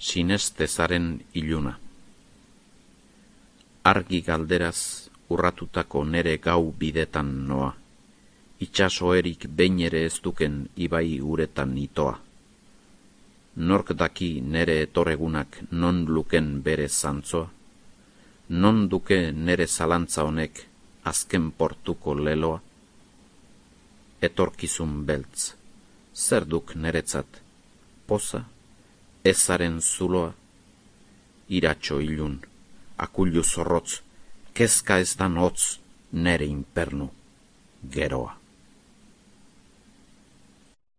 sinestezaren iluna. Argi galderaz urratutako nere gau bidetan noa, itxasoerik behin ere ez duken ibai uretan itoa. Nork daki nere etorregunak non luken bere zantzoa, non duke nere zalantza honek azken portuko leloa? Etorkizun beltz, zer duk neretzat, poza, ezaren zuloa? Iratxo ilun, akullu zorrotz, kezka ez dan hotz nere inpernu, geroa.